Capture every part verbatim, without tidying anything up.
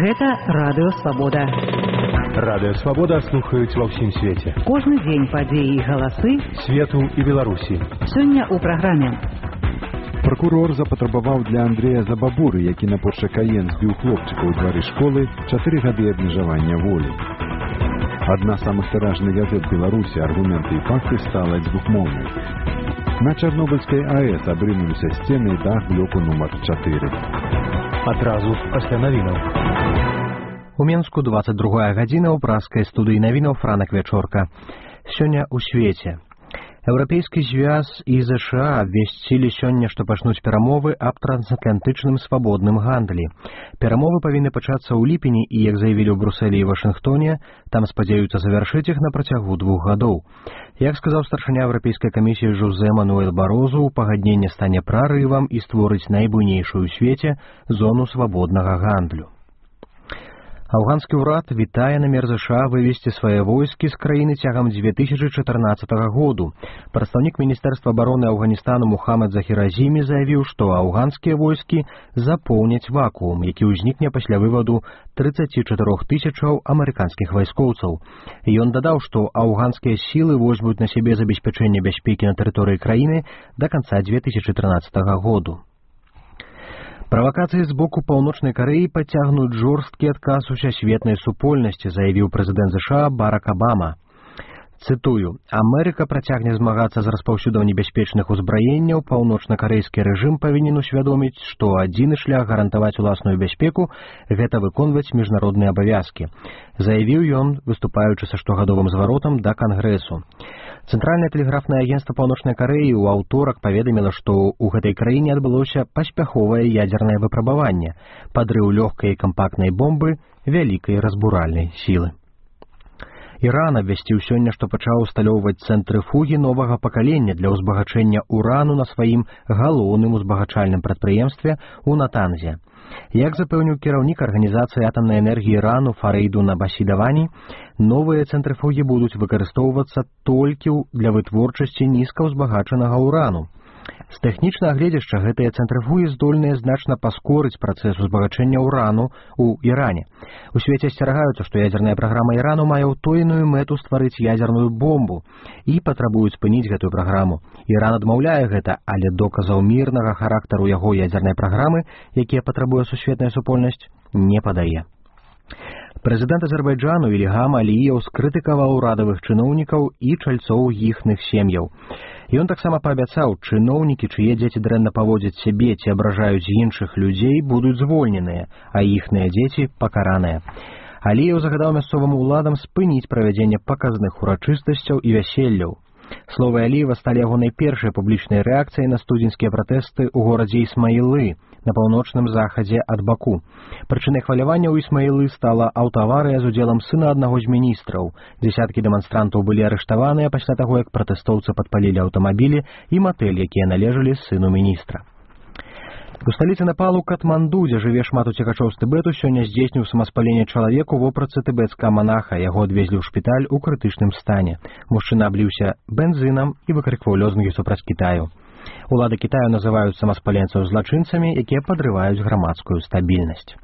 Гэта Радыё Свабода. Радыё Свабода слухаюць ва ўсім свеце. Кожны дзень падзеі і галасы свету і Беларусі. Сёння ў праграме. Пракурор запатрабаваў для Андрэя Забабуры, які на Поршакаен збіў хлопчыка ў двары школы, чатыры гады абмежавання волі. Адна з самых тыражных газет Беларусі «Аргументы і факты» стала двухмоўнай. На Чарнобыльскай АЭС абрынуліся сцены і дах блоку нумар чатыры. Адразу пасля навінаў. У Менску двадцать другая гадзіна ў праскай студыі навінаў Франак Вячорка. Сёння ў свеце. Еўрапейскі звяз і ЗША абвясцілі сёння, што пачнуць перамовы аб трансатлантычным свабодным гандлі. Перамовы павінны пачацца ў ліпені і, як заявілі ў Брусэлі і Вашынгтоне, там спадзяюцца завяршыць іх на працягу двух гадоў. Як сказаў старшыня Еўрапейскай камісіі Жозе Мануэль Барозу, пагадненне стане прарывам і створыць найбуйнейшую ў свеце зону свабоднага гандлю. Афганскі ўрад вітае намер ЗША вывесці свае войскі з краіны цягам две тысячы чатырнаццатага году. Прадстаўнік Міністэрства абароны Афганістану Мухаммад Захір Азімі заявіў, што афганскія войскі запоўняць вакуум, які ўзнікне пасля вываду трыццаці чатырох тысячаў амерыканскіх вайскоўцаў. Ён дадаў, што афганскія сілы возьмуць на сябе забеспячэнне бяспекі на тэрыторыі краіны да канца две тысячы трынаццатага году. Правакацыі з боку Паўночнай Карэі пацягнуць жорсткі адказ усесветнай супольнасці, заявіў прэзідэнт ЗША Барак Абама. Цытую: «Амерыка працягне змагацца з распаўсюдам небяспечных узбраенняў, паўночна-карэйскі рэжым павінен усвядоміць, што адзіны шлях гарантаваць уласную бяспеку – гэта выконваць міжнародныя абавязкі», заявіў ён, выступаючы са штогадовым зваротам да Кангрэсу. Цэнтральнае тэлеграфнае агенцтва Паўночнай Карэі ў аўторак паведаміла, што ў гэтай краіне адбылося паспяховае ядзернае выпрабаванне, падрыў лёгкай і кампактнай бомбы вялікай разбуральнай сілы. Іран абвясціў сёння, што пачаў усталёўваць цэнтрыфугі новага пакалення для ўзбагачэння урану на сваім галоўным узбагачальным прадпрыемстве ў Натанзе. Як запэўніў кіраўнік арганізацыі атамнай энергіі Ірану Фарейдун Абасі-Давані, новыя цэнтрыфугі будуць выкарыстоўвацца толькі для вытворчасці нізкаўзбагачанага урану. З тэхнічнага гледзяшча гэтыя цэнтрыфугі здольныя значна паскорыць працэс узбагачэння урану ў Іране. У свеце асцерагаюцца, што ядзерная праграма Ірану мае ўтоеную мэту стварыць ядзерную бомбу і патрабуюць спыніць гэтую праграму. Іран адмаўляе гэта, але доказаў мірнага характару яго ядзернай праграмы, якія патрабуе сусветная супольнасць, не падае. Прэзідэнт Азербайджану Ільгам Аліеў скрытыкаваў урадавых чыноўнікаў і чальцоў іхных сем'яў. Ён таксама паабяцаў, чыноўнікі, чые дзеці дрэнна паводзяць сябе ці абражаюць іншых людзей, будуць звольненыя, а іхныя дзеці пакараныя. Аліеў загадаў мясцовым уладам спыніць правядзенне паказных урачыстасцяў і вяселляў. Словы Аліева сталі ягонай першай публічнай рэакцыяй на студзеньскія пратэсты ў горадзе Ісмаілы на паўночным захадзе ад Баку. Прычынай хвалявання ў Ісмаілы стала аўтаварыя з удзелам сына аднаго з міністраў. Дзясяткі дэманстрантаў былі арыштаваныя пасля таго, як пратэстоўцы падпалілі аўтамабілі і матэль, якія належалі сыну міністра. У сталіцы Непалу Катманду, дзе жыве шмат уцекачоў з Тыбету, сёння здзейсніў самаспаленне чалавек у вопратцы тыбецкага манаха. Яго адвезлі ў шпіталь у крытычным стане. Мужчына абліўся бензынам і выкрыкваў лозунгі супраць Кітаю. Улады Кітаю называюць самаспаленцаў злачынцамі, якія падрываюць грамадскую стабільнасць.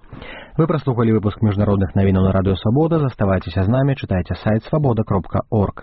Вы праслухалі выпуск міжнародных навінаў на Радыё Свабода. Заставайцеся з намі, чытайце сайт свабода кропка орг.